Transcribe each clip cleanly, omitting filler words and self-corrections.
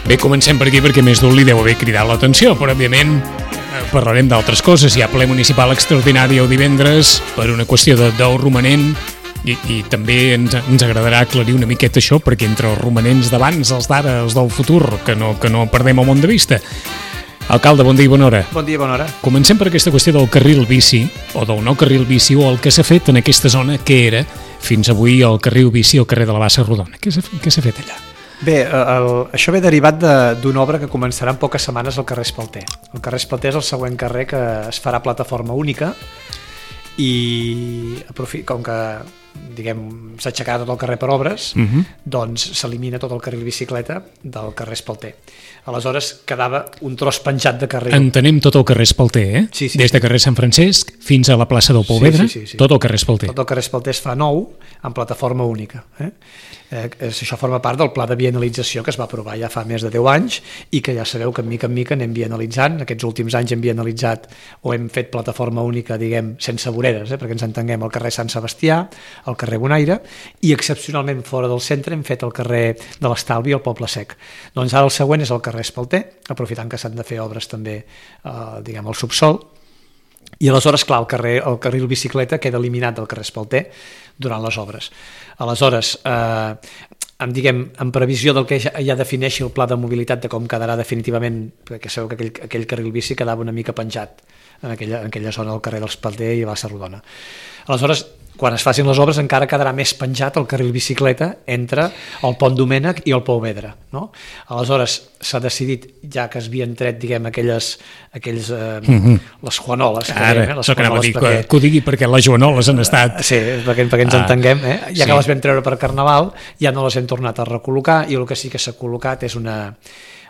Bé, comencem per aquí perquè més d'un li deu haver cridat l'atenció, però òbviament parlarem d'altres coses. Hi ha ple municipal extraordinari el divendres per una qüestió del romanent i també ens agradarà aclarir una miqueta això, perquè entre els romanents d'abans, els d'ara, els del futur, que no perdem el món de vista. Alcalde, bon dia i bona hora. Bon dia i bona hora. Comencem per aquesta qüestió del carril bici, o del nou carril bici, o el que s'ha fet en aquesta zona que era fins avui el carril bici al carrer de la Bassa Rodona. Què s'ha fet allà? Bé, això ve derivat d'una obra que començarà en poques setmanes al carrer Espalter. El carrer Espalter és el següent carrer que es farà plataforma única i com que s'ha aixecat tot el carrer per obres, doncs s'elimina tot el carril bicicleta del carrer Espalter. Aleshores quedava un tros penjat de carril. Entenem tot el carrer Espalter, eh? Sí. Des de carrer Sant Francesc fins a la plaça del Pou Vedre, tot el carrer Espalter. Tot el carrer Espalter es fa nou en plataforma única. Això forma part del pla de bienalització que es va aprovar ja fa més de 10 anys i que ja sabeu que mica en mica anem bienalitzant. Aquests últims anys hem bienalitzat o hem fet plataforma única, sense voreres, perquè ens entenguem, al carrer Sant Sebastià, al carrer Bonaire, i excepcionalment fora del centre hem fet el carrer de l'Estalvi i el Poble Sec. Doncs ara el següent és el carrer Espalter, aprofitant que s'han de fer obres també al subsol, i aleshores, clar, el carril bicicleta queda eliminat del carrer Espalter durant les obres. Aleshores, en previsió del que ja defineixi el pla de mobilitat de com quedarà definitivament, perquè sabeu que aquell carril bici quedava una mica penjat en aquella zona del carrer d'Espalter i Bassa Rodona. Aleshores, quan es facin les obres encara quedarà més penjat el carril bicicleta entre el Pont Domènec i el Pou Vedre, no? Aleshores s'ha decidit, ja que es havien tret les Juanoles, que ho digui perquè les Joanoles han estat... Sí, perquè ens entenguem, ja que les vam treure per Carnaval ja no les hem tornat a recol·locar i el que sí que s'ha col·locat és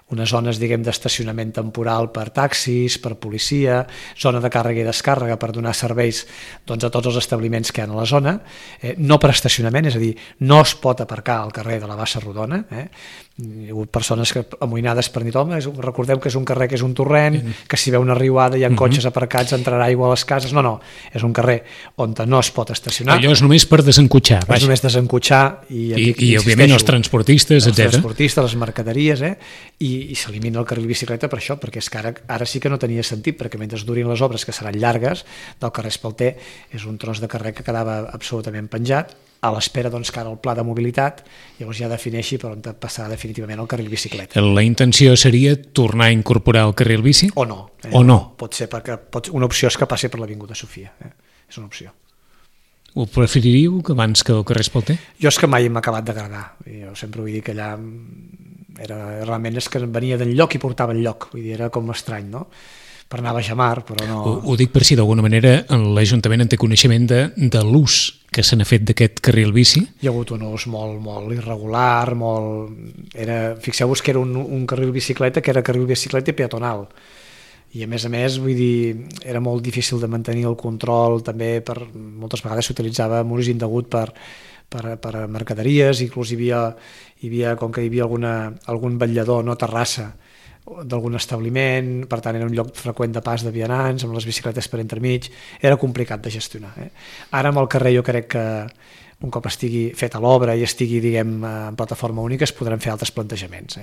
unes zones d'estacionament temporal per taxis, per policia, zona de càrrega i descàrrega per donar serveis a tots els establiments que hi ha a la zona, no per estacionament, és a dir, no es pot aparcar al carrer de la Bassa Rodona, hi ha hagut persones amoïnades per dir, home, recordeu que és un carrer que és un torrent, que si ve una riuada hi ha cotxes aparcats, entrarà aigua a les cases, no, és un carrer on no es pot estacionar. Allò és només per desencotxar. És només desencotxar i òbviament els transportistes, etc. Els transportistes, les mercaderies, i s'elimina el carril bicicleta per això, perquè és que ara sí que no tenia sentit, perquè mentre durin les obres, que seran llargues, del carrer Espalter és un tros de carrer que quedava absolutament penjat, a l'espera que ara el pla de mobilitat llavors ja defineixi per on passarà definitivament el carril bicicleta. La intenció seria tornar a incorporar el carril bici? O no. O no? Pot ser, perquè una opció és que passi per l'Avinguda Sofia. És una opció. Ho preferiríeu abans que el carrer Espalter? Jo és que mai m'ha acabat d'agradar. Jo sempre vull dir que allà realment és que venia d'enlloc i portava enlloc. Vull dir, era com estrany, no? Per anar a Bajamar, però no... Ho dic per si d'alguna manera l'Ajuntament en té coneixement de l'ús que se n'ha fet d'aquest carril bici? Hi ha hagut un ús molt irregular, fixeu-vos que era un carril bicicleta que era carril bicicleta peatonal. I a més, vull dir, era molt difícil de mantenir el control, també moltes vegades s'utilitzava amb ús indegut per mercaderies, inclús hi havia com que hi havia algun vetllador, no terrassa, d'algun establiment, per tant era un lloc freqüent de pas de vianants, amb les bicicletes per entremig, era complicat de gestionar. Ara amb el carrer jo crec que un cop estigui feta l'obra i estigui, en plataforma única, es podran fer altres plantejaments,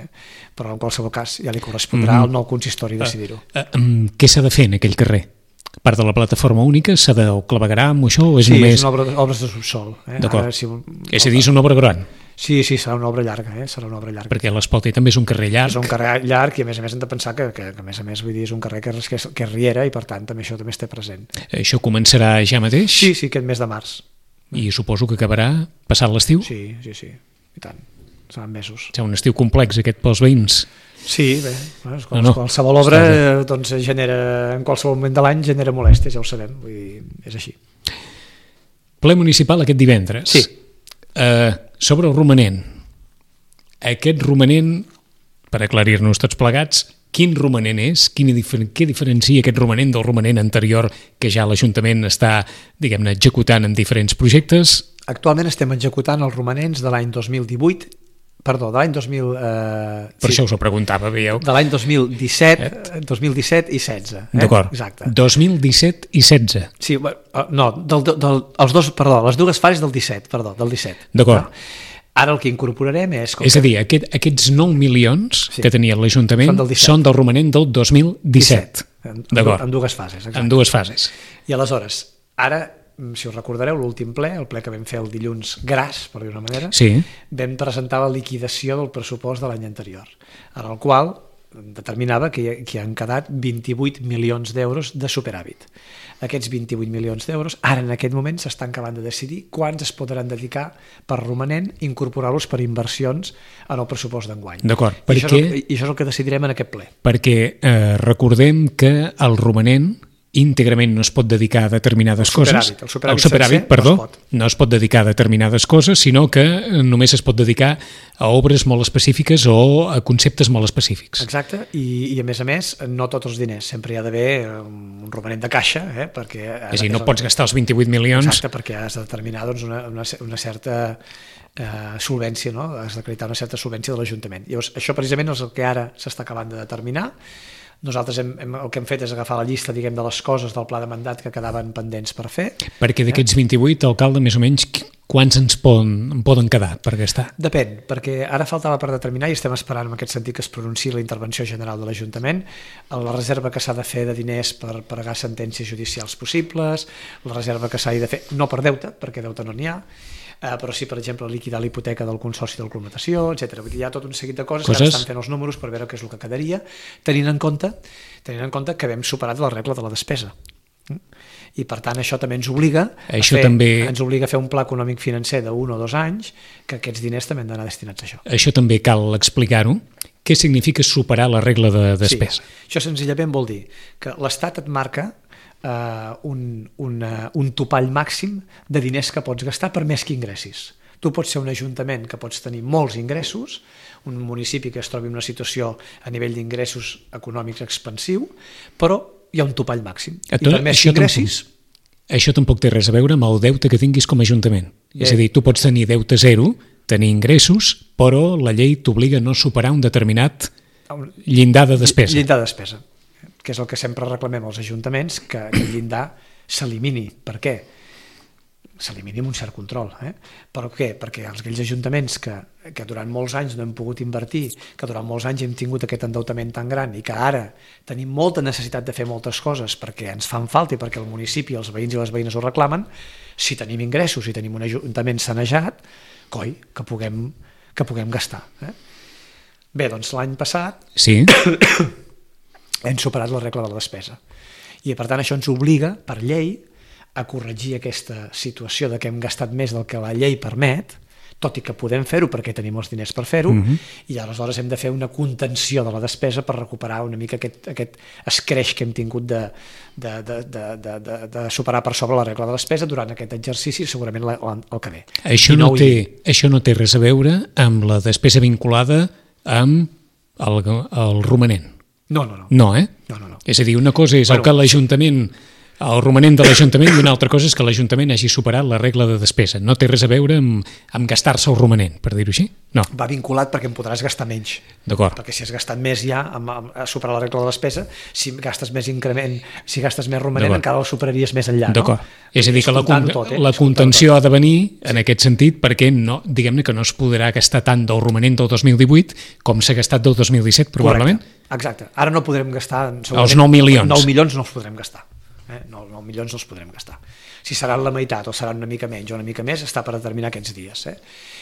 però en qualsevol cas ja li correspondrà al nou consistori decidir-ho. Què s'ha de fer en aquell carrer? A part de la plataforma única, s'ha de claveguerar amb això o és només... Sí, són obres de subsol. D'acord, és a dir, és una obra gran. Sí, serà una obra llarga, serà una obra llarga. Perquè l'Espalter també és un carrer llarg. És un carrer llarg i a més hem de pensar que a més vull dir, és un carrer que és riera i per tant això també es té present. Això començarà ja mateix? Sí, aquest mes de març. I suposo que acabarà passat l'estiu? Sí, i tant. mesos. És un estiu complex aquest pels veïns. Sí, bé, qualsevol obra doncs, genera, en qualsevol moment de l'any genera molèsties, ja ho sabem, vull dir, és així. Ple municipal aquest divendres. Sí. Sobre el romanent. Aquest romanent, per aclarir-nos tots plegats, quin romanent és? Què diferencia aquest romanent del romanent anterior que ja l'Ajuntament està, diguem-ne, executant en diferents projectes? Actualment estem executant els romanents de l'any 2018, perdó, de l'any 2000... Per això us ho preguntava, veieu? De l'any 2017 i 16. D'acord. Exacte. 2017 i 16. Sí, no, les dues fases del 17, del 17. D'acord. No? Ara el que incorporarem és... És a dir, aquests 9 milions que tenia l'Ajuntament són del romanent del 2017. En dues fases. Exacte. En dues fases. I aleshores, ara, si us recordareu, l'últim ple, el ple que vam fer el dilluns gras, per dir-ho d'una manera, vam presentar la liquidació del pressupost de l'any anterior, en el qual determinava que hi han quedat 28 milions d'euros de superàvit. Aquests 28 milions d'euros, ara en aquest moment s'estan acabant de decidir quants es podran dedicar per romanent, incorporar-los per inversions en el pressupost d'enguany. D'acord. I això és el que decidirem en aquest ple. Perquè recordem que el romanent íntegrament no es pot dedicar a determinades coses. El superàvit no es pot dedicar a determinades coses, sinó que només es pot dedicar a obres molt específiques o a conceptes molt específics. Exacte, i a més, no tots els diners. Sempre hi ha d'haver un romanent de caixa, perquè... És a dir, no pots gastar els 28 milions... Exacte, perquè has de determinar una certa solvència, no? Has d'acreditar una certa solvència de l'Ajuntament. Llavors, això precisament és el que ara s'està acabant de determinar. Nosaltres el que hem fet és agafar la llista, diguem, de les coses del pla de mandat que quedaven pendents per fer. Perquè d'aquests 28, alcalde, més o menys, quants ens poden quedar per gastar? Depèn, perquè ara faltava per determinar i estem esperant en aquest sentit que es pronunciï la intervenció general de l'Ajuntament, la reserva que s'ha de fer de diners per pagar sentències judicials possibles, la reserva que s'ha de fer, no per deute, perquè deute no n'hi ha, però sí, per exemple, liquidar la hipoteca del Consorci de Colmatació, etc. Vull dir, hi ha tot un seguit de coses que ara estan fent els números per veure què és el que quedaria, tenint en compte que vam superat la regla de la despesa. I per tant això també ens obliga a fer un pla econòmic financer d'1 o 2 anys, que aquests diners també han d'anar destinats a això. Això també cal explicar-ho. Què significa superar la regla de despesa? Sí, això senzillament vol dir que l'Estat et marca un topall màxim de diners que pots gastar per més que ingressis. Tu pots ser un ajuntament que pots tenir molts ingressos, un municipi que es trobi en una situació a nivell d'ingressos econòmics expansiu, però hi ha un topall màxim. I per més que ingressis... Això tampoc té res a veure amb el deute que tinguis com a ajuntament. És a dir, tu pots tenir deute zero, tenir ingressos, però la llei t'obliga a no superar un determinat llindar de despesa. Llindar de despesa, que és el que sempre reclamem als ajuntaments, que el llindar s'elimini. Per què? S'elimini amb un cert control. Per què? Perquè aquells ajuntaments que durant molts anys no hem pogut invertir, que durant molts anys hem tingut aquest endeutament tan gran i que ara tenim molta necessitat de fer moltes coses perquè ens fan falta i perquè el municipi, els veïns i les veïnes ho reclamen, si tenim ingressos i tenim un ajuntament sanejat, coi, que puguem gastar. Bé, doncs l'any passat hem superat la regla de la despesa. I per tant això ens obliga, per llei, a corregir aquesta situació de que hem gastat més del que la llei permet, tot i que podem fer-ho perquè tenim els diners per fer-ho, i aleshores hem de fer una contenció de la despesa per recuperar una mica aquest escreix que hem tingut de superar per sobre la regla de despesa durant aquest exercici, segurament el que ve. Això no té res a veure amb la despesa vinculada amb el romanent. No. No. És a dir, una cosa és el que l'Ajuntament... el romanent de l'Ajuntament i una altra cosa és que l'Ajuntament hagi superat la regla de despesa. No té res a veure amb gastar-se el romanent, per dir-ho així? No. Va vinculat perquè en podràs gastar menys. D'acord. Perquè si has gastat més ja a superar la regla de despesa, si gastes més increment, si gastes més romanent, encara el superaries més enllà. D'acord. És a dir, que la contenció ha de venir en aquest sentit perquè diguem-ne que no es podrà gastar tant del romanent del 2018 com s'ha gastat del 2017, probablement. Correcte. Exacte. Ara no podrem gastar... Els 9 milions. 9 milions no els podrem gastar. No 9 milions no els podrem gastar. Si seran la meitat o seran una mica menys o una mica més, està per determinar aquests dies.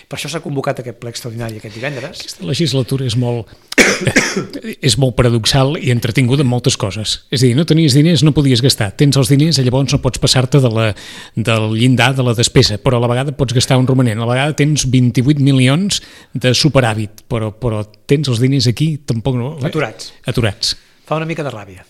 Per això s'ha convocat aquest ple extraordinari aquest divendres. Aquesta legislatura és molt paradoxal i entretinguda en moltes coses. És a dir, no tenies diners, no podies gastar. Tens els diners i llavors no pots passar-te del llindar de la despesa, però a la vegada pots gastar un romanent. A la vegada tens 28 milions de superàvit, però tens els diners aquí, tampoc no... Aturats. Fa una mica de ràbia.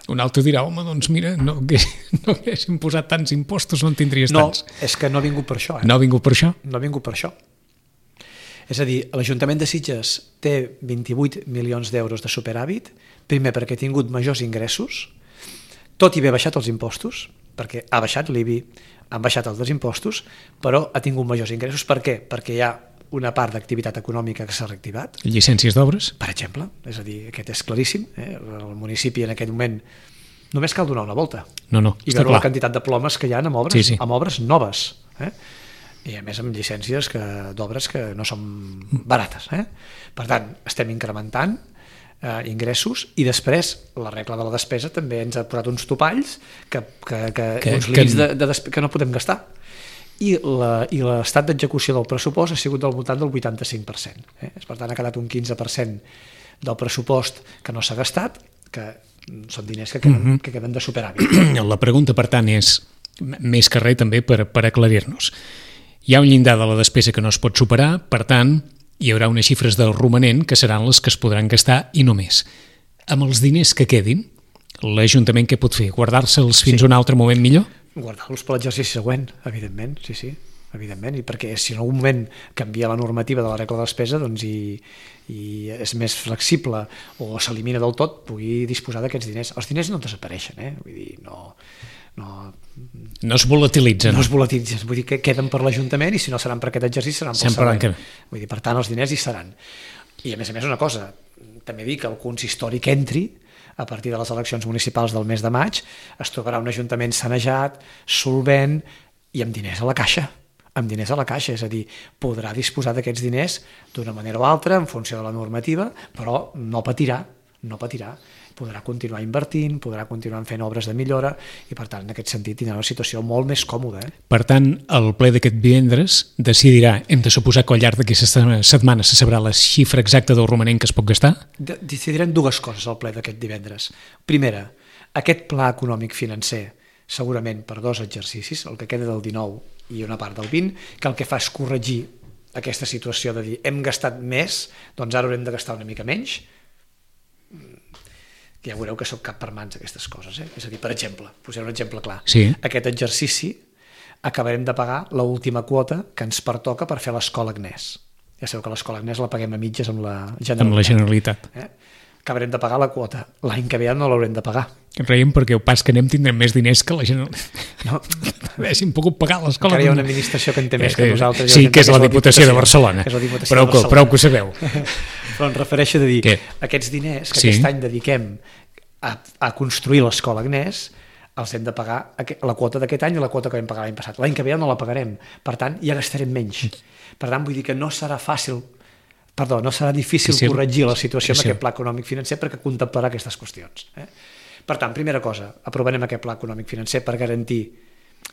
Un altre dirà, home, doncs mira, no haguéssim posat tants impostos, no en tindries tants. No, és que no ha vingut per això. No ha vingut per això? No ha vingut per això. És a dir, l'Ajuntament de Sitges té 28 milions d'euros de superàvit, primer perquè ha tingut majors ingressos, tot i haver baixat els impostos, perquè ha baixat l'IBI, han baixat els impostos, però ha tingut majors ingressos. Per què? Perquè hi ha una part d'activitat econòmica que s'ha reactivat. Llicències d'obres? Per exemple, és a dir, aquest és claríssim. El municipi en aquest moment només cal donar una volta. No, I veure la quantitat de plomes que hi ha amb obres, sí. Amb obres noves. I a més amb llicències d'obres que no són barates. Per tant, estem incrementant ingressos i després la regla de la despesa també ens ha posat uns topalls uns límits que no podem gastar. I l'estat d'execució del pressupost ha sigut del voltant del 85%. Per tant, ha quedat un 15% del pressupost que no s'ha gastat, que són diners que queden de superàvit. La pregunta, per tant, és més que res també per aclarir-nos. Hi ha un llindar de la despesa que no es pot superar, per tant, hi haurà unes xifres del romanent que seran les que es podran gastar i no més. Amb els diners que quedin, l'Ajuntament què pot fer? Guardar-se'ls fins a un altre moment millor? Guardar-los per l'exercici següent, evidentment, sí, evidentment, i perquè si en algun moment canvia la normativa de la regla de despesa doncs i és més flexible o s'elimina del tot, pugui disposar d'aquests diners. Els diners no desapareixen, vull dir, no es volatilitzen. No es volatilitzen, vull dir que queden per l'Ajuntament i si no seran per aquest exercici seran pel següent. Vull dir, per tant, els diners hi seran. I a més una cosa, també dic que el consistori que entri a partir de les eleccions municipals del mes de maig es trobarà un ajuntament sanejat, solvent i amb diners a la caixa. És a dir, podrà disposar d'aquests diners d'una manera o altra en funció de la normativa, però no patirà, podrà continuar invertint, podrà continuar fent obres de millora i per tant en aquest sentit tindrà una situació molt més còmoda. Per tant, el ple d'aquest divendres decidirà, hem de suposar que al llarg d'aquesta setmana se sabrà la xifra exacta del romanent que es pot gastar? Decidirem dues coses al ple d'aquest divendres. Primera, aquest pla econòmic financer segurament per 2 exercicis, el que queda del 19 i una part del 20, que el que fa és corregir aquesta situació de dir hem gastat més, doncs ara haurem de gastar una mica menys. Ja veureu que soc cap per mans aquestes coses. És a dir, per exemple, posaré un exemple clar. Sí. Aquest exercici acabarem de pagar l'última quota que ens pertoca per fer l'escola Agnès. Ja sabeu que l'escola Agnès la paguem a mitges amb la Generalitat. Acabarem de pagar la quota. L'any que ve no l'haurem de pagar. Reiem perquè el pas que anem tindrem més diners que la Generalitat. No. Haguéssim pogut pagar l'escola. Encara hi ha una administració que en té més que nosaltres. Sí, que és la Diputació de Barcelona. Prou que ho sabeu. Però em refereixo a dir, aquests diners que aquest any dediquem a construir l'escola Agnès, els hem de pagar la quota d'aquest any i la quota que vam pagar l'any passat. L'any que ve no la pagarem. Per tant, ja gastarem menys. Per tant, vull dir que no serà difícil corregir la situació amb aquest pla econòmic financer perquè contemplarà aquestes qüestions. Per tant, primera cosa, aprovarem aquest pla econòmic financer per garantir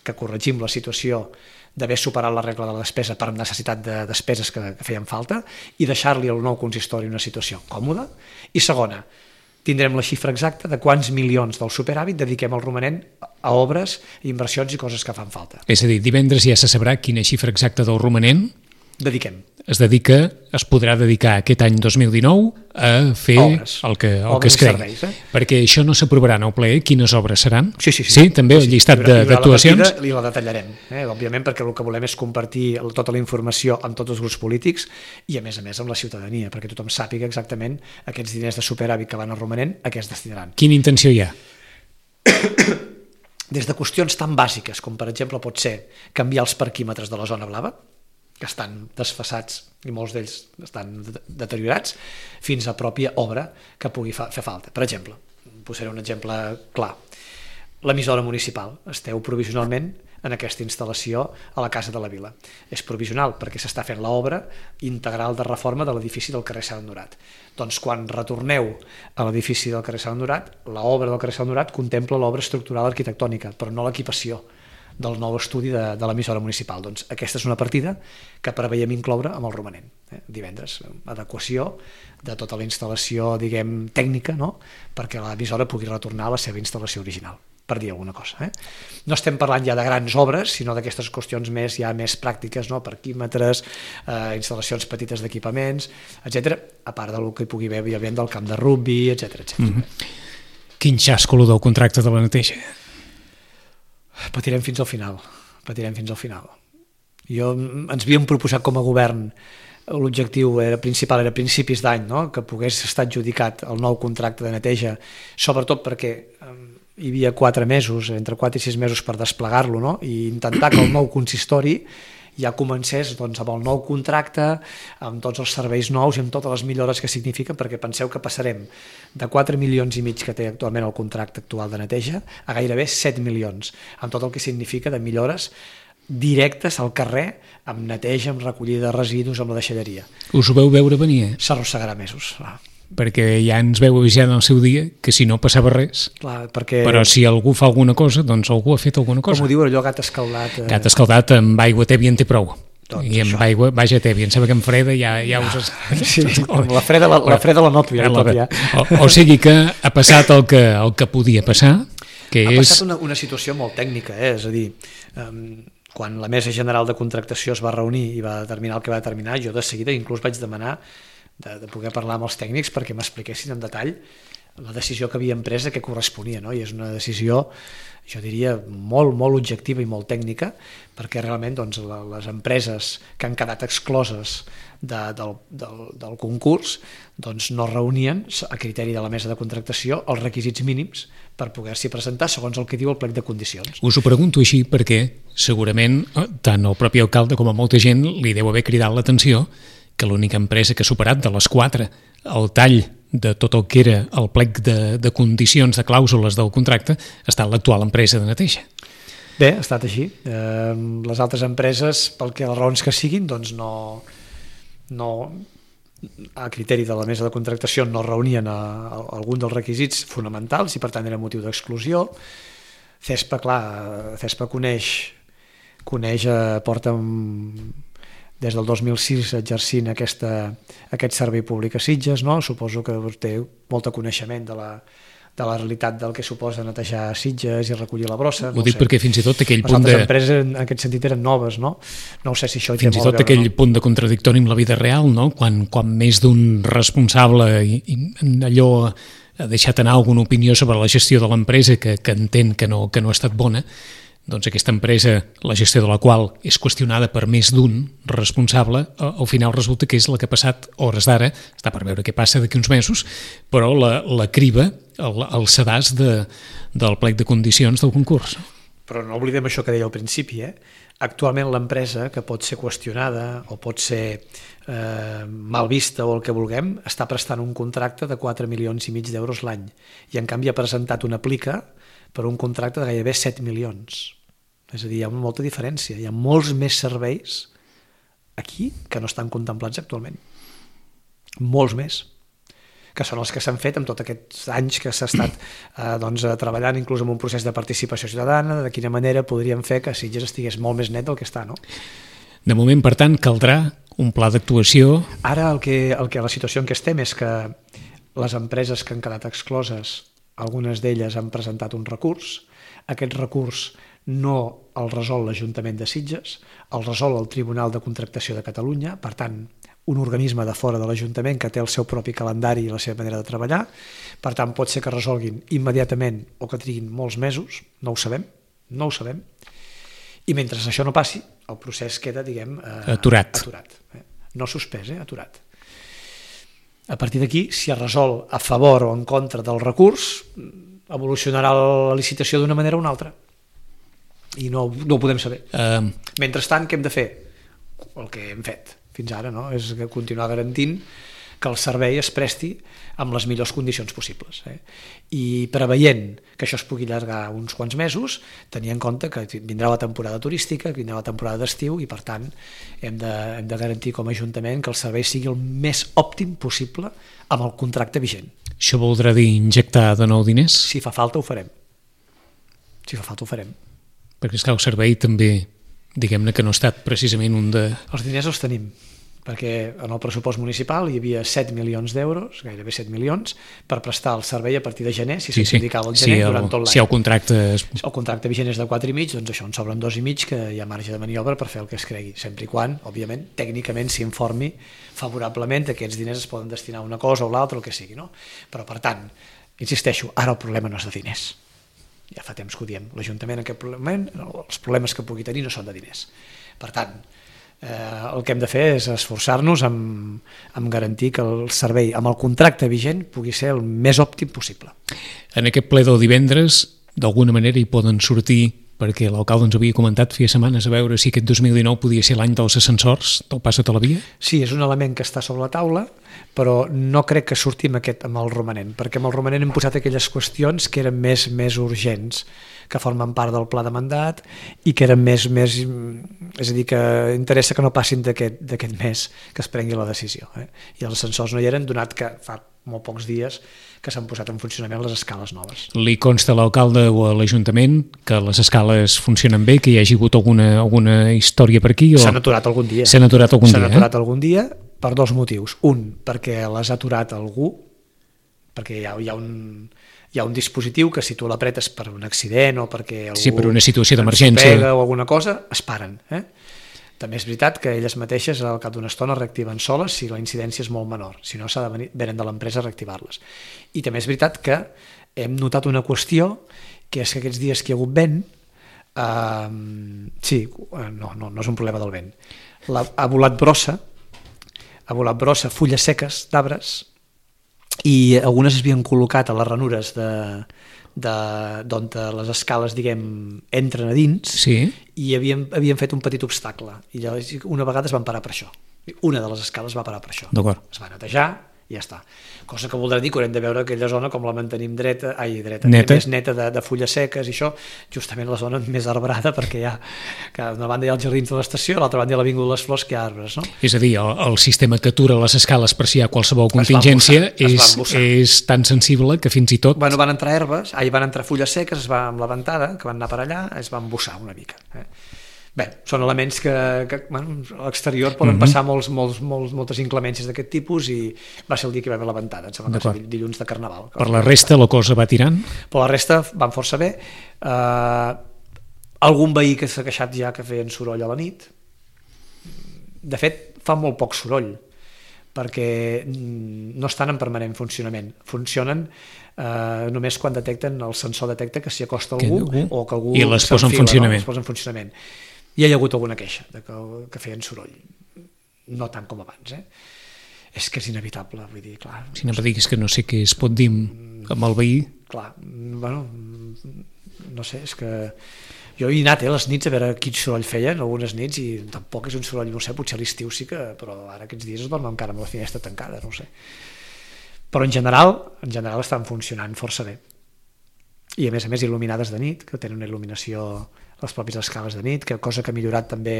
que corregim la situació d'haver superat la regla de la despesa per necessitat de despeses que feien falta i deixar-li al nou consistori una situació còmoda. I segona, tindrem la xifra exacta de quants milions del superàvit dediquem al romanent a obres, inversions i coses que fan falta. És a dir, divendres ja se sabrà quina xifra exacta del romanent es podrà dedicar aquest any 2019 a fer obres, el que es cregui. Perquè això no s'aprovarà en el ple, quines obres seran? Sí, també el llistat d'actuacions? I la detallarem, òbviament, perquè el que volem és compartir tota la informació amb tots els grups polítics i a més amb la ciutadania, perquè tothom sàpiga exactament aquests diners de superàvit que van al romanent a què es destinaran. Quina intenció hi ha? Des de qüestions tan bàsiques com per exemple pot ser canviar els parquímetres de la zona blava, que estan desfasats i molts d'ells estan deteriorats, fins a pròpia obra que pugui fer falta. Per exemple, posaré un exemple clar. L'emissora municipal. Esteu provisionalment en aquesta instal·lació a la Casa de la Vila. És provisional perquè s'està fent l'obra integral de reforma de l'edifici del carrer Sant Honorat. Doncs quan retorneu a l'edifici del carrer Sant Honorat, l'obra del carrer Sant Honorat contempla l'obra estructural arquitectònica, però no l'equipació del nou estudi de l'emissora municipal. Doncs aquesta és una partida que preveiem incloure amb el romanent. Divendres, adequació de tota la instal·lació, diguem, tècnica, no? Perquè l'emissora pugui retornar a la seva instal·lació original, per dir alguna cosa. No estem parlant ja de grans obres, sinó d'aquestes qüestions més pràctiques, no? Parquímetres, instal·lacions petites d'equipaments, etc. A part del que hi pugui haver, òbviament, del camp de rugby, etc. Quin xasco del contracte de la neteja? Patirem fins al final. Ens havíem proposat com a govern, l'objectiu principal era principis d'any, no? Que pogués estar adjudicat el nou contracte de neteja, sobretot perquè hi havia 4 mesos, entre 4 i 6 mesos per desplegar-lo, no? I intentar que el nou consistori ja comencés amb el nou contracte, amb tots els serveis nous i amb totes les millores que significa, perquè penseu que passarem de 4,5 milions que té actualment el contracte actual de neteja a gairebé 7 milions, amb tot el que significa de millores directes al carrer, amb neteja, amb recollida de residus, amb la deixalleria. Us ho veu veure venir? S'arrossegarà mesos, clar. Perquè ja ens veu avisar en el seu dia que si no passava res, clar, perquè... però si algú fa alguna cosa, doncs algú ha fet alguna cosa. Com ho diu allò, gat escaldat... Gat escaldat amb aigua tèbia en té prou. Doncs i amb aigua, vaja tèbia, em sembla que en freda ja us... Sí, la freda la noto ja. O sigui que ha passat el que podia passar, que ha és... passat una situació molt tècnica, és a dir, quan la Mesa General de Contractació es va reunir i va determinar el que va determinar, jo de seguida inclús vaig demanar de poder parlar amb els tècnics perquè m'expliquessin en detall la decisió que havien pres a què corresponia, no? I és una decisió, jo diria, molt objectiva i molt tècnica, perquè realment les empreses que han quedat excloses del concurs no reunien, a criteri de la mesa de contractació, els requisits mínims per poder-s'hi presentar segons el que diu el plec de condicions. Us ho pregunto així perquè segurament tant el propi alcalde com a molta gent li deu haver cridat l'atenció que l'única empresa que ha superat de les 4 el tall de tot el que era el plec de condicions, de clàusules del contracte, ha estat l'actual empresa de neteja. Bé, ha estat així. Les altres empreses, pel que les raons que siguin, no a criteri de la mesa de contractació no reunien algun dels requisits fonamentals i per tant era motiu d'exclusió. CESPA, clar, CESPA coneix porta des del 2006 exercint aquest servei públic a Sitges, no? Suposo que té molt de coneixement de la realitat del que suposa netejar Sitges i recollir la brossa. Ho dic perquè fins i tot aquell punt les altres empreses en aquest sentit eren noves, no? No sé si això fins i tot aquell punt de contradictori amb la vida real, no? Quan més d'un responsable allò ha deixat anar alguna opinió sobre la gestió de l'empresa que entén que no ha estat bona, doncs aquesta empresa, la gestió de la qual és qüestionada per més d'un responsable, al final resulta que és la que ha passat hores d'ara, està per veure què passa d'aquí uns mesos, però la criba, el sedàs del plec de condicions del concurs. Però no oblidem això que deia al principi, Actualment l'empresa, que pot ser qüestionada o pot ser mal vista o el que vulguem, està prestant un contracte de 4,5 milions d'euros l'any i en canvi ha presentat una plica per un contracte de gairebé 7 milions. És a dir, hi ha molta diferència. Hi ha molts més serveis aquí que no estan contemplats actualment. Molts més. Que són els que s'han fet amb tots aquests anys que s'ha estat treballant inclús en un procés de participació ciutadana, de quina manera podríem fer que Sitges estigués molt més net del que està, no? De moment, per tant, caldrà un pla d'actuació. Ara la situació en què estem és que les empreses que han quedat excloses, algunes d'elles han presentat un recurs. Aquest recurs no el resol l'Ajuntament de Sitges, el resol el Tribunal de Contractació de Catalunya, per tant, un organisme de fora de l'Ajuntament que té el seu propi calendari i la seva manera de treballar. Per tant, pot ser que resolguin immediatament o que triguin molts mesos, no ho sabem. I mentre això no passi, el procés queda, diguem, aturat. No suspès, aturat. A partir d'aquí, si es resol a favor o en contra del recurs, evolucionarà la licitació d'una manera o una altra. I no ho podem saber. Mentrestant, què hem de fer? El que hem fet fins ara, no? És continuar garantint que el servei es presti amb les millors condicions possibles. I preveient que això es pugui allargar uns quants mesos, tenir en compte que vindrà la temporada turística, que vindrà la temporada d'estiu i, per tant, hem de garantir com a Ajuntament que el servei sigui el més òptim possible amb el contracte vigent. Això voldrà dir injectar de nou diners? Si fa falta ho farem. Si fa falta ho farem. Perquè, esclar, el servei també, diguem-ne que no ha estat precisament un de... Els diners els tenim, perquè en el pressupost municipal hi havia 7 milions d'euros, gairebé 7 milions, per prestar el servei a partir de gener, si s'indicava el gener, durant tot l'any. Si el contracte... El contracte vigent és de 4,5, doncs això, en sobren 2,5, que hi ha marge de maniobra per fer el que es cregui, sempre i quan, òbviament, tècnicament s'informi favorablement que aquests diners es poden destinar a una cosa o l'altra, el que sigui, no? Però, per tant, insisteixo, ara el problema no és de diners. Ja fa temps que ho diem. L'Ajuntament en aquest moment, els problemes que pugui tenir no són de diners. Per tant, el que hem de fer és esforçar-nos en garantir que el servei amb el contracte vigent pugui ser el més òptim possible. En aquest ple del divendres, d'alguna manera hi poden sortir, perquè l'alcalde ens havia comentat feia setmanes a veure si aquest 2019 podia ser l'any dels ascensors del pas a la via? Sí, és un element que està sobre la taula, però no crec que sortim amb el romanent, perquè amb el romanent hem posat aquelles qüestions que eren més urgents, que formen part del pla de mandat i que eren més és a dir, que interessa que no passin d'aquest mes que es prengui la decisió. I els ascensors no hi eren, donat que fa molt pocs dies que s'han posat en funcionament les escales noves. Li consta a l'alcalde o a l'Ajuntament que les escales funcionen bé, que hi hagi hagut alguna història per aquí? S'han aturat algun dia. S'han aturat algun dia. S'han aturat algun dia per dos motius. Un, perquè les ha aturat algú, perquè hi ha un dispositiu que si tu l'apretes per un accident o perquè algú... Sí, per una situació d'emergència. ...pega o alguna cosa, es paren. També és veritat que elles mateixes al cap d'una estona reactiven soles si la incidència és molt menor, si no s'ha de venir de l'empresa a reactivar-les. I també és veritat que hem notat una qüestió, que és que aquests dies que hi ha hagut vent, no és un problema del vent, ha volat brossa, fulles seques d'arbres, i algunes es havien col·locat a les ranures d'on les escales, diguem, entren a dins, sí. I havien fet un petit obstacle, i llavors una vegada es van parar per això, una de les escales va parar per això, es va netejar i ja està, cosa que voldrà dir que haurem de veure aquella zona com la mantenim dreta, més neta de fulles seques i això, justament la zona més arbrada, perquè hi ha, que d'una banda hi ha els jardins de l'estació, a l'altra banda hi ha l'Avinguda de les Flors, que hi ha arbres, no? És a dir, el sistema que atura les escales per si hi ha qualsevol contingència és tan sensible que fins i tot... Van entrar herbes, van entrar fulles seques, amb la ventada, que van anar per allà, es van embussar una mica. Bé, són elements que a l'exterior poden passar moltes inclemències d'aquest tipus i va ser el dia que hi va haver la ventada, em sembla que va ser dilluns de Carnaval. Per la resta la cosa va tirant? Per la resta van força bé. Algun veí que s'ha queixat ja que feien soroll a la nit. De fet, fa molt poc soroll, perquè no estan en permanent funcionament. Funcionen només quan detecten, el sensor detecta que s'hi acosta algú o que algú i les posa en funcionament. I hi ha hagut alguna queixa que feien soroll, no tant com abans. És que és inevitable, vull dir, clar. Si no diguis que no sé què es pot dir amb el veí. Clar, bueno, no sé, és que jo he anat les nits a veure quin soroll feien, algunes nits, i tampoc és un soroll, no sé, potser a l'estiu sí que, però ara aquests dies es dormen encara amb la finestra tancada, no ho sé. Però en general estan funcionant força bé. I a més il·luminades de nit, que tenen una il·luminació, les pròpies escales de nit, cosa que ha millorat també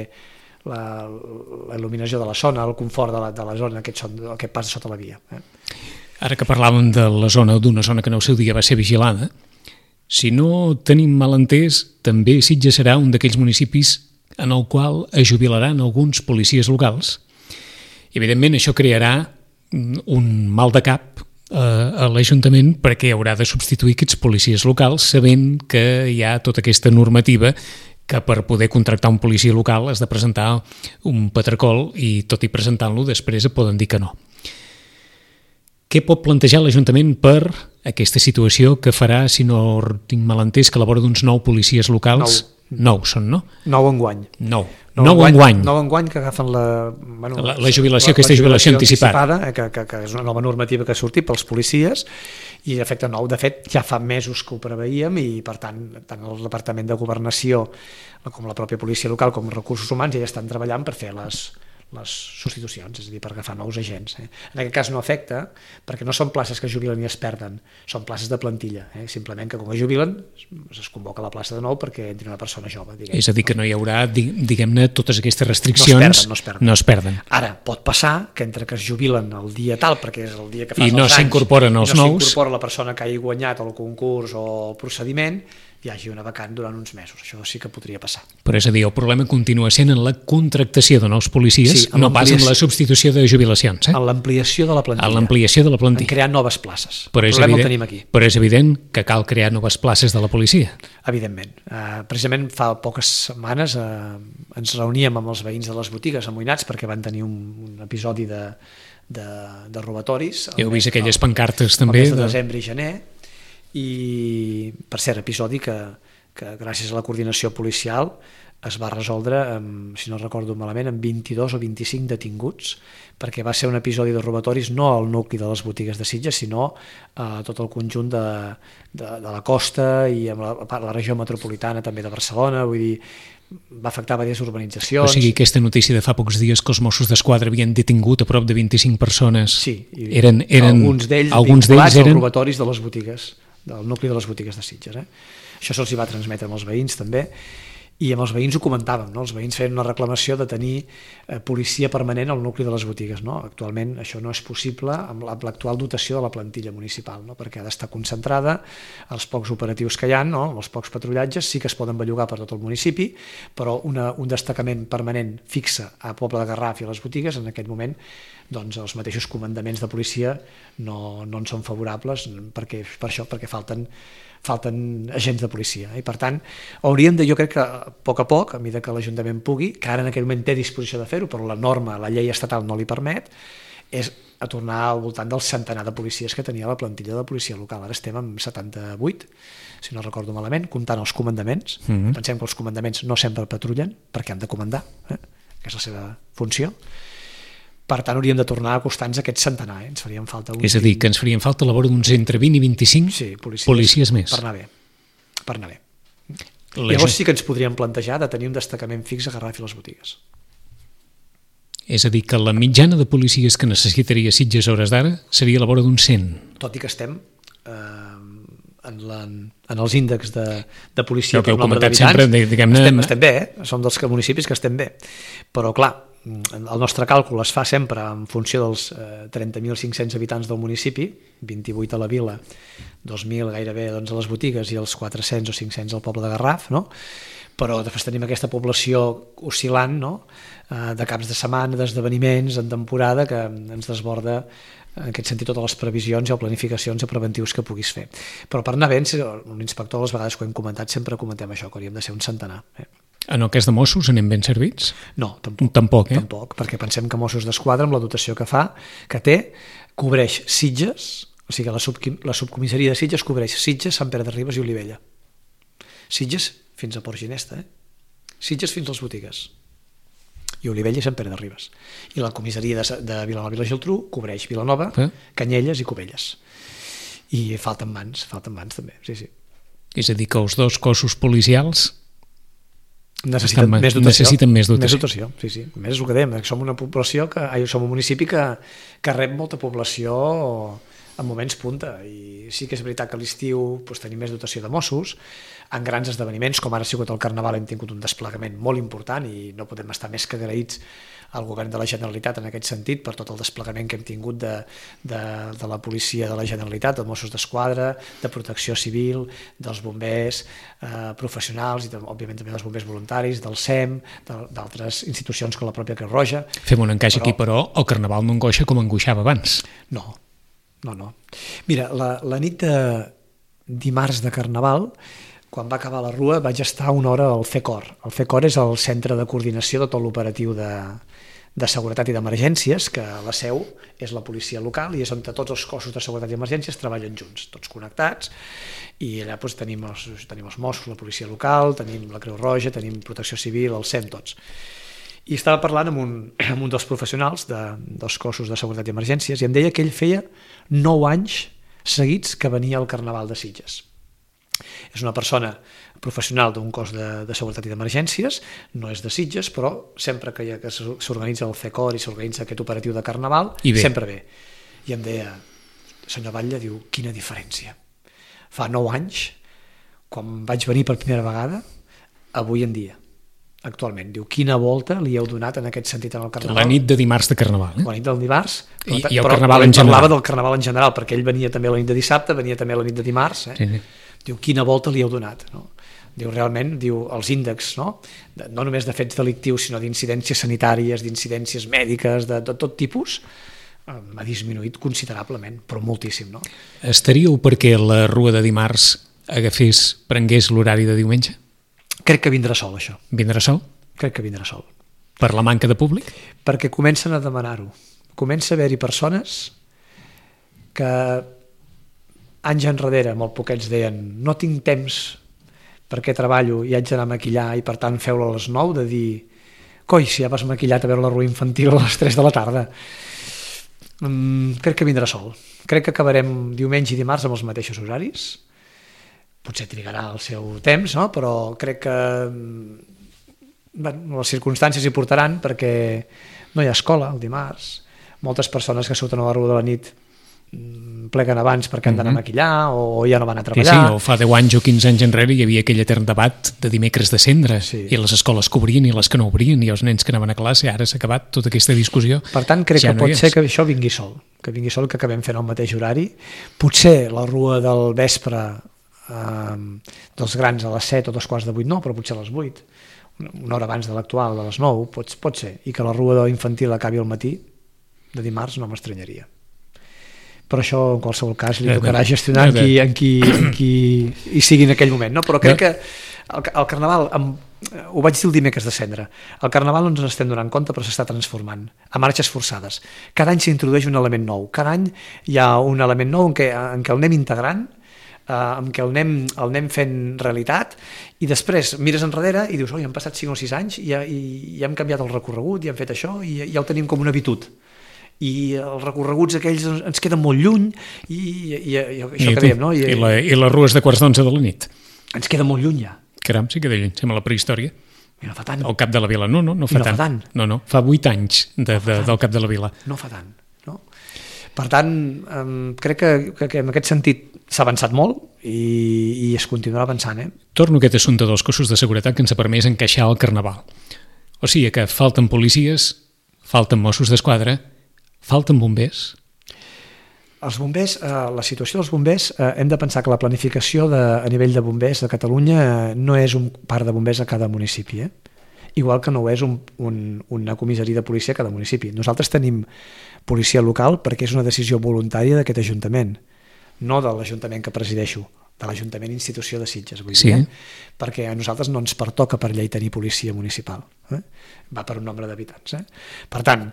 la il·luminació de la zona, el confort de la zona, aquest pas sota la via. Ara que parlàvem de la zona, d'una zona que en el seu dia va ser vigilada, si no tenim mal entès, també Sitges serà un d'aquells municipis en el qual es jubilaran alguns policies locals. I, evidentment, això crearà un mal de cap a l'Ajuntament perquè haurà de substituir aquests policies locals sabent que hi ha tota aquesta normativa que per poder contractar un policia local has de presentar un patracol i tot i presentant-lo després et poden dir que no. Què pot plantejar l'Ajuntament per aquesta situació que farà, si no tinc mal entès, que a la vora d'uns 9 policies locals... 9 són, no? 9 enguany. 9 enguany. 9 enguany que agafen la jubilació, aquesta jubilació anticipada. Que és una nova normativa que ha sortit pels policies i d'efecte 9. De fet, ja fa mesos que ho preveíem i, per tant el Departament de Governació com la pròpia policia local com recursos humans ja estan treballant per fer les les substitucions, és a dir, per agafar nous agents. En aquest cas no afecta, perquè no són places que es jubilen i es perden, són places de plantilla. Simplement que quan es jubilen es convoca la plaça de nou perquè entri una persona jove. És a dir, que no hi haurà, diguem-ne, totes aquestes restriccions no es perden. Ara, pot passar que entre que es jubilen el dia tal, perquè és el dia que fas i no s'incorporen els nous, no s'incorpora la persona que hagi guanyat el concurs o el procediment, hi hagi una vacant durant uns mesos. Això sí que podria passar. Però és a dir, el problema continua sent en la contractació de nous policies, no pas en la substitució de jubilacions. En l'ampliació de la plantilla. En l'ampliació de la plantilla. En crear noves places. Però el problema el tenim aquí. Però és evident que cal crear noves places de la policia. Evidentment. Precisament fa poques setmanes ens reuníem amb els veïns de les botigues amoïnats perquè van tenir un episodi de robatoris. Heu vist aquelles pancartes també? El mes de desembre i gener. I, per cert, episodi que gràcies a la coordinació policial es va resoldre, si no recordo malament, amb 22 o 25 detinguts, perquè va ser un episodi de robatoris no al nucli de les botigues de Sitges, sinó a tot el conjunt de la costa i amb la regió metropolitana també de Barcelona, vull dir, va afectar diverses urbanitzacions. O sigui, aquesta notícia de fa pocs dies que els Mossos d'Esquadra havien detingut a prop de 25 persones, sí, eren alguns d'ells vinculats als robatoris de les botigues, del nucli de les botigues de Sitges. Això se'ls va transmetre amb els veïns també, i amb els veïns ho comentàvem, no? Els veïns feien una reclamació de tenir policia permanent al nucli de les botigues, no? Actualment això no és possible amb l'actual dotació de la plantilla municipal, no? Perquè ha d'estar concentrada, els pocs operatius que hi ha, no? Els pocs patrullatges sí que es poden bellugar per tot el municipi, però un destacament permanent fixe a Poble de Garraf i a les botigues, en aquest moment doncs els mateixos comandaments de policia no en són favorables per això, perquè falten agents de policia, i per tant hauríem de, jo crec que a poc, a mesura que l'Ajuntament pugui, que ara en aquell moment té disposició de fer-ho, però la norma, la llei estatal no li permet, és a tornar al voltant del centenar de policies que tenia la plantilla de policia local. Ara estem amb 78, si no recordo malament, comptant els comandaments. Pensem que els comandaments no sempre patrullen perquè han de comandar, que és la seva funció. Per tant, hauríem de tornar a acostar-nos a aquest centenar. Ens farien falta és a dir, que ens farien falta a la vora d'uns entre 20 i 25 policies més. Per anar bé. Llavors sí que ens podríem plantejar de tenir un destacament fix a Garraf i les botigues. És a dir, que la mitjana de policies que necessitaria Sitges a hores d'ara seria a la vora d'uns 100. Tot i que estem en els índexs de policia per nombre d'habitants, estem bé, som dels municipis que estem bé. Però clar, el nostre càlcul es fa sempre en funció dels 30.500 habitants del municipi, 28 a la vila, 2.000 gairebé a les botigues i els 400 o 500 al poble de Garraf, no? Però després tenim aquesta població oscil·lant, no? De caps de setmana, d'esdeveniments, en temporada, que ens desborda en aquest sentit totes les previsions i planificacions i preventius que puguis fer. Però per anar bé, un inspector, les vegades que ho hem comentat, sempre comentem això, que hauríem de ser un centenar. En el cas de Mossos anem ben servits? No, tampoc. Tampoc, perquè pensem que Mossos d'Esquadra, amb la dotació que té, cobreix Sitges, o sigui, la subcomissaria de Sitges cobreix Sitges, Sant Pere de Ribes i Olivella. Sitges fins a Port Ginesta, Sitges fins a les botigues. I Olivella i Sant Pere de Ribes. I la comissaria de Vilanova i la Geltrú cobreix Vilanova, Canyelles i Cubelles. I falten mans també, sí. És a dir, que els dos cossos policials necessiten més dotació. Més dotació. Sí. A més és el que dèiem, som un municipi que rep molta població en moments punta, i sí que és veritat que a l'estiu tenim més dotació de Mossos. En grans esdeveniments, com ara ha sigut el Carnaval, hem tingut un desplegament molt important i no podem estar més que agraïts al govern de la Generalitat en aquest sentit per tot el desplegament que hem tingut de la policia de la Generalitat, de Mossos d'Esquadra, de Protecció Civil, dels bombers professionals i òbviament també dels bombers voluntaris, del SEM, d'altres institucions com la pròpia Creu Roja. Fem un encaix aquí, però el Carnaval no angoixa com angoixava abans. No. Mira, la nit de dimarts de Carnaval, quan va acabar la rua, vaig estar una hora al FECOR. El FECOR és el centre de coordinació de tot l'operatiu de seguretat i d'emergències, que la seu és la policia local i és on tots els cossos de seguretat i emergències treballen junts, tots connectats, i allà tenim els Mossos, la policia local, tenim la Creu Roja, tenim Protecció Civil, el SEM, tots. I estava parlant amb un dels professionals dels cossos de seguretat i emergències i em deia que ell feia 9 anys seguits que venia al Carnaval de Sitges. És una persona professional d'un cos de seguretat i d'emergències, no és de Sitges, però sempre que s'organitza el FECOR i s'organitza aquest operatiu de Carnaval, sempre ve. I em deia, senyor Batlle, diu, quina diferència. Fa 9 anys, quan vaig venir per primera vegada, avui en dia, actualment, diu, quina volta li heu donat en aquest sentit en el Carnaval. La nit de dimarts de Carnaval. La nit del dimarts. I el Carnaval en general. Parlava del Carnaval en general, perquè ell venia també la nit de dissabte, venia també la nit de dimarts. Sí. Diu, quina volta li heu donat. No? Diu, realment, diu, els índexs, no només de fets delictius, sinó d'incidències sanitàries, d'incidències mèdiques, de tot tipus, ha disminuït considerablement, però moltíssim. No? Estaríeu perquè la rua de dimarts prengués l'horari de diumenge? Crec que vindrà sol, això. Vindrà sol? Crec que vindrà sol. Per la manca de públic? Perquè comencen a demanar-ho. Comença a haver-hi persones que anys enrere, molt poquets, deien no tinc temps perquè treballo i haig d'anar a maquillar i per tant feu-lo a les 9, de dir coi, si ja vas maquillat a veure la rua infantil a les 3 de la tarda. Crec que vindrà sol. Crec que acabarem diumenge i dimarts amb els mateixos horaris. Potser trigarà el seu temps, no? Però crec que les circumstàncies hi portaran perquè no hi ha escola el dimarts. Moltes persones que surten a la rua de la nit pleguen abans perquè han d'anar a maquillar o ja no van a treballar. Sí, o fa 10 anys o 15 anys enrere hi havia aquell etern debat de dimecres de cendre i les escoles que obrien i les que no obrien i els nens que anaven a classe. Ara s'ha acabat tota aquesta discussió. Per tant, crec que pot ser que això vingui sol, que acabem fent el mateix horari. Potser la rua del vespre dels grans a les 7 o 7:45 no, però potser a les 8, una hora abans de l'actual, de les 9, pot ser, i que la rua de l'infantil acabi al matí de dimarts no m'estranyaria. Però això en qualsevol cas li tocarà gestionar en qui hi sigui en aquell moment, no? Però crec que el Carnaval, ho vaig dir el dimecres de Cendra, el Carnaval no ens estem donant compte però s'està transformant a marxes forçades. Cada any s'introdueix un element nou, cada any hi ha un element nou en què el anem integrant, amb què el anem fent realitat i després mires enrere i dius, oi, han passat 5 o 6 anys i hem canviat el recorregut i hem fet això i ja ho tenim com una habitud i els recorreguts aquells ens queden molt lluny i això que dèiem, no? I les rues de 11:15 de la nit? Ens queda molt lluny ja. Caram, sí que de lluny, sembla la prehistòria. I no fa tant. El Cap de la Vila, no fa tant. No, fa 8 anys del Cap de la Vila. No fa tant, no? Per tant, crec que en aquest sentit s'ha avançat molt i es continuarà avançant. Torno a aquest assumpte dels cossos de seguretat que ens ha permès encaixar el Carnaval. O sigui que falten policies, falten Mossos d'Esquadra, falten bombers. Els bombers, la situació dels bombers, hem de pensar que la planificació a nivell de bombers de Catalunya no és un parc de bombers a cada municipi, igual que no ho és una comissaria de policia a cada municipi. Nosaltres tenim policia local perquè és una decisió voluntària d'aquest Ajuntament, no de l'Ajuntament que presideixo, de l'Ajuntament Institució de Sitges, vull dir, perquè a nosaltres no ens pertoca per llei tenir policia municipal, va per un nombre d'habitants. Per tant,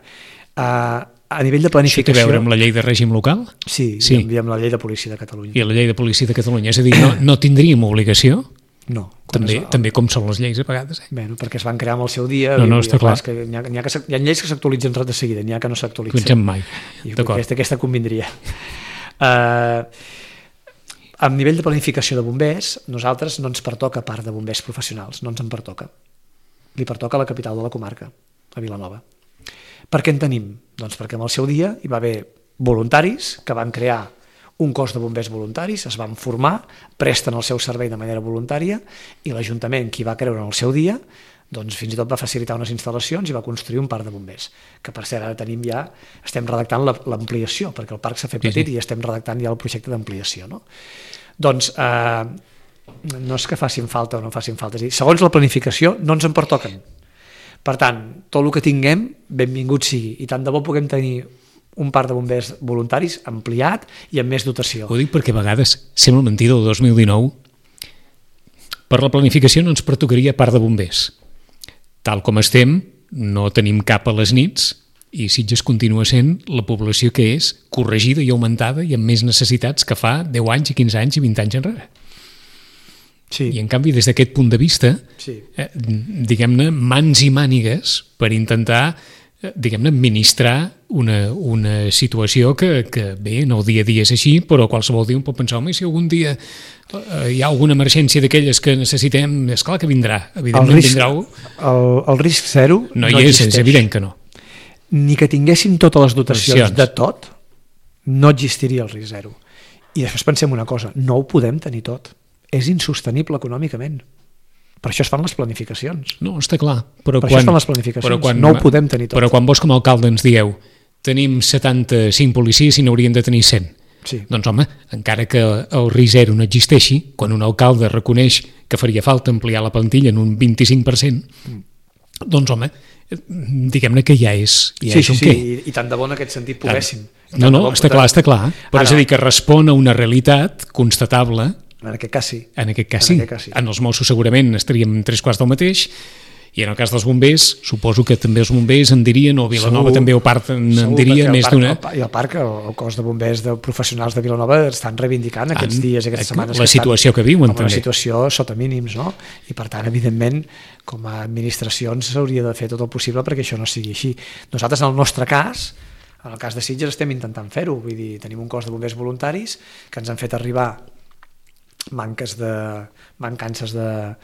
a nivell de planificació... Això té a veure amb la llei de règim local? Sí, i amb la llei de policia de Catalunya. I la llei de policia de Catalunya, és a dir, no tindríem obligació? No. També com són les lleis a vegades. Bé, perquè es van crear en el seu dia. No, està clar. Hi ha lleis que s'actualitzen de seguida, n'hi ha que no s'actualitzen. Actualitzem mai. Aquesta convindria. A nivell de planificació de bombers, nosaltres no ens pertoca part de bombers professionals, no ens en pertoca. Li pertoca a la capital de la comarca, a Vilanova. Per què en tenim? Doncs perquè en el seu dia hi va haver voluntaris que van crear un cos de bombers voluntaris, es van formar, presten el seu servei de manera voluntària i l'Ajuntament, qui va creure en el seu dia, doncs fins i tot va facilitar unes instal·lacions i va construir un parc de bombers, que per cert ara tenim ja, estem redactant l'ampliació, perquè el parc s'ha fet petit i estem redactant ja el projecte d'ampliació. Doncs no és que facin falta o no facin falta, és a dir, segons la planificació no ens en pertoquen. Per tant, tot el que tinguem, benvingut sigui, i tant de bo puguem tenir un parc de bombers voluntaris ampliat i amb més dotació. Ho dic perquè a vegades sembla mentida el 2019. Per la planificació no ens pertocaria parc de bombers. Tal com estem, no tenim cap a les nits i Sitges continua sent la població que és, corregida i augmentada i amb més necessitats que fa 10 anys i 15 anys i 20 anys enrere. Sí. I en canvi des d'aquest punt de vista, diguem-ne, mans i mànigues per intentar diguem-ne, administrar una situació que bé, en el dia a dia és així, però qualsevol dia un pot pensar, home, si algun dia hi ha alguna emergència d'aquelles que necessitem, és clar que vindrà, evidentment vindrà. El risc zero no hi és evident que no. Ni que tinguéssim totes les dotacions de tot, no existiria el risc zero. I després pensem una cosa, no ho podem tenir tot. És insostenible econòmicament. Per això es fan les planificacions. No, està clar. Però això es fan les planificacions. No ho podem tenir tot. Però quan vos com a alcalde ens dieu tenim 75 policies i n'haurien de tenir 100. Sí. Doncs home, encara que el risc zero no existeixi, quan un alcalde reconeix que faria falta ampliar la plantilla en un 25%, doncs home, diguem-ne que ja és un què. I tant de bo en aquest sentit poguéssim. No, està clar. Però és a dir, que respon a una realitat constatable. En aquest cas sí. En aquest cas sí. En els Mossos segurament estaríem 3/4 del mateix, i en el cas dels bombers, suposo que també els bombers en dirien, o Vilanova també o part en diria més d'una. I el parc, el cos de bombers de professionals de Vilanova estan reivindicant aquests dies i aquestes setmanes la situació que viuen també. Una situació sota mínims, no? I per tant, evidentment, com a administracions s'hauria de fer tot el possible perquè això no sigui així. Nosaltres, en el nostre cas, en el cas de Sitges, estem intentant fer-ho. Vull dir, tenim un cos de bombers voluntaris que ens han fet arribar mancances de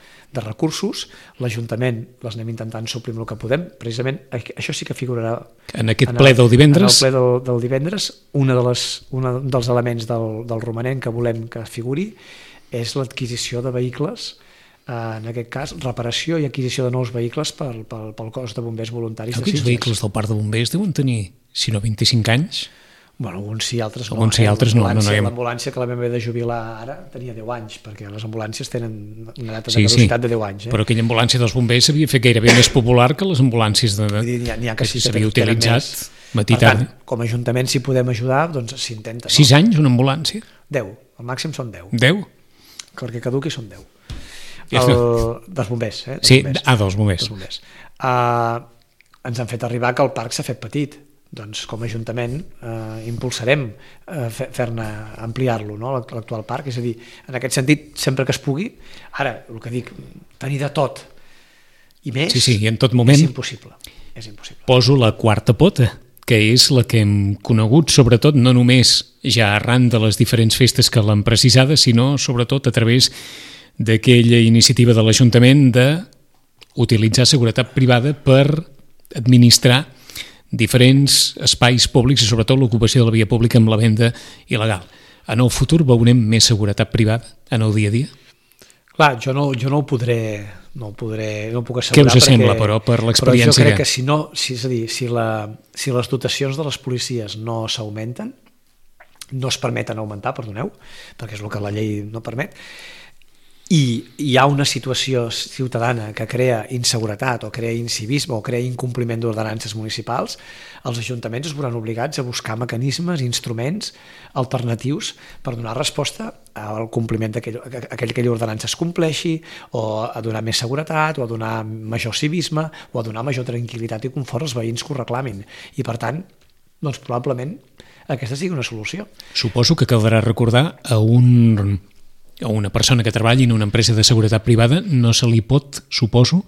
recursos. L'Ajuntament les anem intentant suplir amb el que podem. Precisament això sí que figurarà en aquest ple del divendres. En el ple del divendres, un dels elements del romanent que volem que figuri és l'adquisició de vehicles, en aquest cas reparació i adquisició de nous vehicles pel cos de bombers voluntaris de Sitges. Aquests vehicles del parc de bombers deuen tenir, si no 25 anys. Bueno, alguns sí, altres no. Alguns sí, altres no. L'ambulància que la vam haver de jubilar ara tenia 10 anys, perquè les ambulàncies tenen una data de caducitat de 10 anys. Però aquella ambulància dels bombers s'havia fet gairebé més popular que les ambulàncies que s'havia utilitzat matí tard. Per tant, com a Ajuntament, si podem ajudar, doncs s'intenta. 6 anys una ambulància? 10, al màxim són 10. 10? Perquè caduqui són 10. Dels bombers, Sí, dels bombers. Ens han fet arribar que el parc s'ha fet petit. Doncs com a Ajuntament impulsarem fer-ne ampliar-lo, no? L'actual parc, és a dir, en aquest sentit, sempre que es pugui. Ara, el que dic, tenir de tot i més, i en tot moment és impossible. Poso la quarta pota, que és la que hem conegut, sobretot no només ja arran de les diferents festes que l'han precisada, sinó sobretot a través d'aquella iniciativa de l'Ajuntament d'utilitzar seguretat privada per administrar diferents espais públics i sobretot l'ocupació de la via pública amb la venda il·legal. En el futur veurem més seguretat privada en el dia a dia? Clar, jo no ho podré, no puc assegurar. Què us sembla, però, per l'experiència? Però jo crec que si les dotacions de les policies no s'augmenten, no es permeten augmentar, perdoneu, perquè és el que la llei no permet, i hi ha una situació ciutadana que crea inseguretat o crea incivisme o crea incompliment d'ordenances municipals, els ajuntaments es veuran obligats a buscar mecanismes, instruments alternatius per donar resposta al compliment d'aquella ordenança es compleixi, o a donar més seguretat, o a donar major civisme, o a donar major tranquil·litat i confort als veïns que ho reclamin. I per tant, doncs probablement aquesta sigui una solució. Suposo que caldrà recordar a una persona que treballi en una empresa de seguretat privada no se li pot, suposo,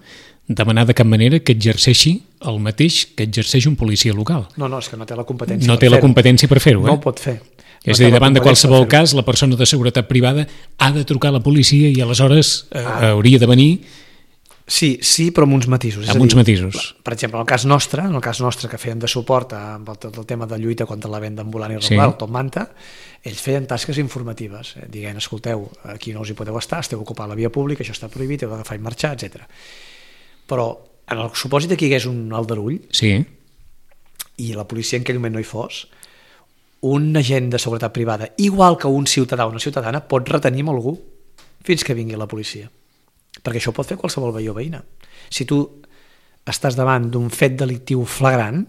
demanar de cap manera que exerceixi el mateix que exerceix un policia local. No, és que no té la competència per fer-ho. No té la competència per fer-ho, No ho pot fer. És a dir, davant de qualsevol cas, la persona de seguretat privada ha de trucar a la policia i aleshores hauria de venir. Sí, però amb uns matisos. Amb uns matisos. Per exemple, en el cas nostre que feien de suport amb el tema de lluita contra la venda ambulant i irregular, el Top Manta, ells feien tasques informatives, dient, escolteu, aquí no us hi podeu estar, esteu ocupant la via pública, això està prohibit, heu d'agafar i marxar, etc. Però en el supòsit que hi hagués un aldarull i la policia en aquell moment no hi fos, un agent de seguretat privada, igual que un ciutadà o una ciutadana, pot retenir amb algú fins que vingui la policia. Perquè això ho pot fer qualsevol veí o veïna. Si tu estàs davant d'un fet delictiu flagrant,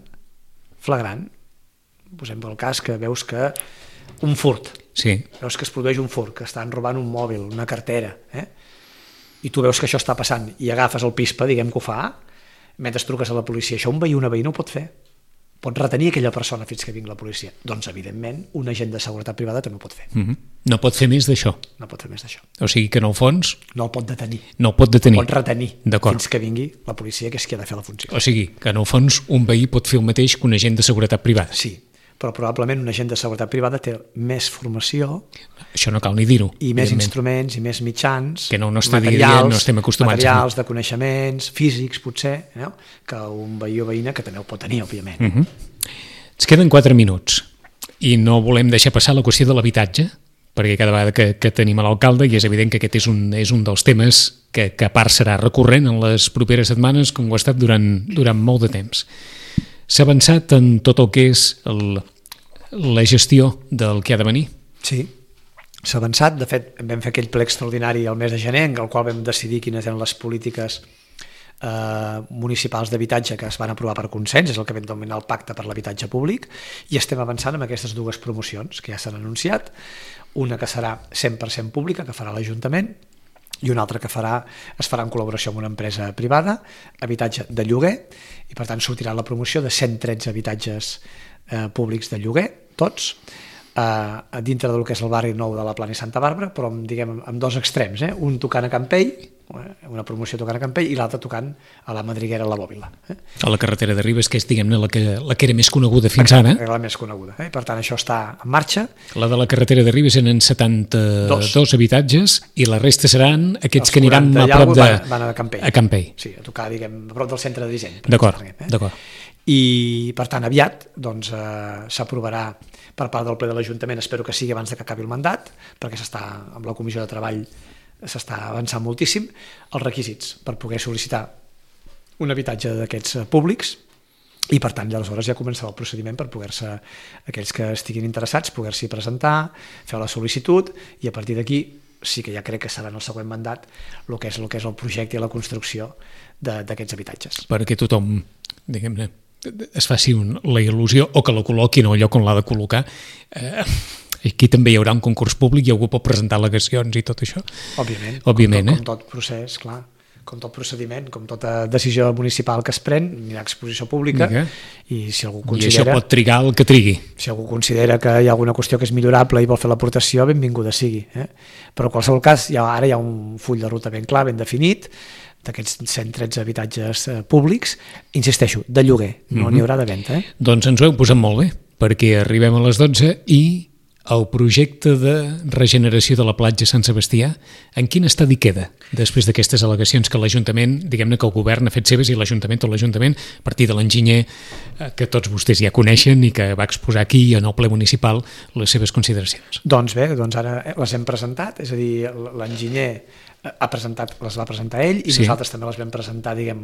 posem el cas que veus que un furt, veus que es produeix un furt, que estan robant un mòbil, una cartera, i tu veus que això està passant i agafes el pispa, diguem que ho fa, mentre truques a la policia, això un veí o una veïna ho pot fer, pot retenir aquella persona fins que vingui la policia. Doncs, evidentment, un agent de seguretat privada també ho pot fer. No pot fer més d'això. No pot fer més d'això. O sigui que, en el fons... No el pot detenir. No el pot detenir. Pot retenir fins que vingui la policia, que és qui ha de fer la funció. O sigui que, en el fons, un veí pot fer el mateix que un agent de seguretat privada. Sí, però probablement un agent de seguretat privada té més formació... Això no cal ni dir-ho. I més instruments, i més mitjans, que no estem acostumats. Materials de coneixements, físics, potser, que un veí o veïna que també ho pot tenir, òbviament. Ens queden 4 minuts i no volem deixar passar la qüestió de l'habitatge, perquè cada vegada que tenim a l'alcalde, i és evident que aquest és un dels temes que a part serà recurrent en les properes setmanes, com ho ha estat durant molt de temps. S'ha avançat en tot el que és la gestió del que ha de venir? Sí, s'ha avançat. De fet, vam fer aquell ple extraordinari el mes de gener, en el qual vam decidir quines eren les polítiques municipals d'habitatge que es van aprovar per consens, és el que vam denominar el Pacte per l'Habitatge Públic, i estem avançant amb aquestes 2 promocions que ja s'han anunciat, una que serà 100% pública, que farà l'Ajuntament, i una altra que es farà en col·laboració amb una empresa privada, habitatge de lloguer, i per tant sortirà la promoció de 113 habitatges públics de lloguer, tots, dintre del que és el barri nou de la Plana i Santa Bàrbara, però amb 2 extrems, un tocant a Campell, una promoció tocant a Campell, i l'altra tocant a la Madriguera, a la Bòbila. A la carretera de Ribes, que és, diguem-ne, la que era més coneguda fins ara. La més coneguda, i per tant això està en marxa. La de la carretera de Ribes eren 72 habitatges, i la resta seran aquests que aniran a prop de... Van a Campell. A Campell. Sí, a tocar, diguem, a prop del centre de disseny. D'acord. I per tant aviat s'aprovarà per part del ple de l'Ajuntament, espero que sigui abans que acabi el mandat, perquè amb la comissió de treball s'està avançant moltíssim, els requisits per poder sol·licitar un habitatge d'aquests públics, i per tant aleshores ja començarà el procediment per poder-se, aquells que estiguin interessats, poder-s'hi presentar, fer la sol·licitud, i a partir d'aquí sí que ja crec que serà en el següent mandat el que és el projecte i la construcció d'aquests habitatges. Perquè tothom, diguem-ne, es faci la il·lusió, o que la col·loqui en el lloc on l'ha de col·locar. Aquí també hi haurà un concurs públic i algú pot presentar al·legacions i tot això. Òbviament, com tot procés, clar, com tot procediment, com tota decisió municipal que es pren, hi ha exposició pública, i si algú considera... I això pot trigar el que trigui. Si algú considera que hi ha alguna qüestió que és millorable i vol fer l'aportació, benvinguda sigui. Però en qualsevol cas, ara hi ha un full de ruta ben clar, ben definit, d'aquests 113 habitatges públics, insisteixo, de lloguer, no n'hi haurà de venda. Doncs ens ho heu posat molt bé, perquè arribem a les 12 i el projecte de regeneració de la platja Sant Sebastià, en quin estadi queda després d'aquestes al·legacions que l'Ajuntament, diguem-ne que el govern ha fet seves, i l'Ajuntament, tot l'Ajuntament, a partir de l'enginyer que tots vostès ja coneixen i que va exposar aquí en el ple municipal les seves consideracions? Doncs bé, ara les hem presentat, és a dir, l'enginyer les va presentar ell, i nosaltres també les vam presentar, diguem,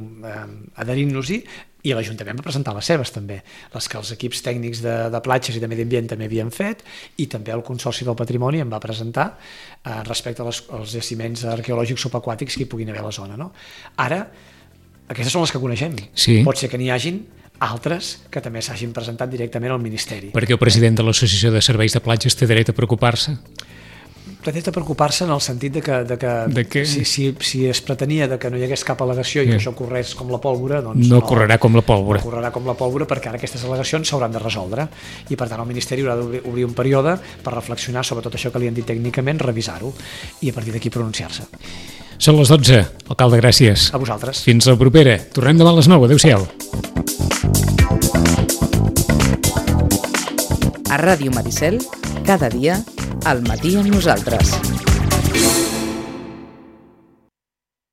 adherint-nos-hi, i l'Ajuntament va presentar les seves també, les que els equips tècnics de platges i de medi ambient també havien fet, i també el Consorci del Patrimoni em va presentar respecte als jaciments arqueològics subaquàtics que hi puguin haver a la zona. Ara, aquestes són les que coneixem. Pot ser que n'hi hagin altres que també s'hagin presentat directament al Ministeri. Perquè el president de l'Associació de Serveis de Platges té dret a preocupar-se? Pretén preocupar-se en el sentit de que si es pretenia que no hi hagués cap al·legació i que això corrés com la pólvora, doncs no correrà com la pólvora. No correrà com la pólvora, perquè ara aquestes al·legacions s'hauran de resoldre, i per tant el Ministeri haurà d'obrir un període per reflexionar sobre tot això que li han dit tècnicament, revisar-ho i a partir d'aquí pronunciar-se. Són les 12. Alcalde, gràcies. A vosaltres. Fins la propera. Tornem demà a les 9. Adéu-siau. A Ràdio Maricel, cada dia, al matí amb nosaltres.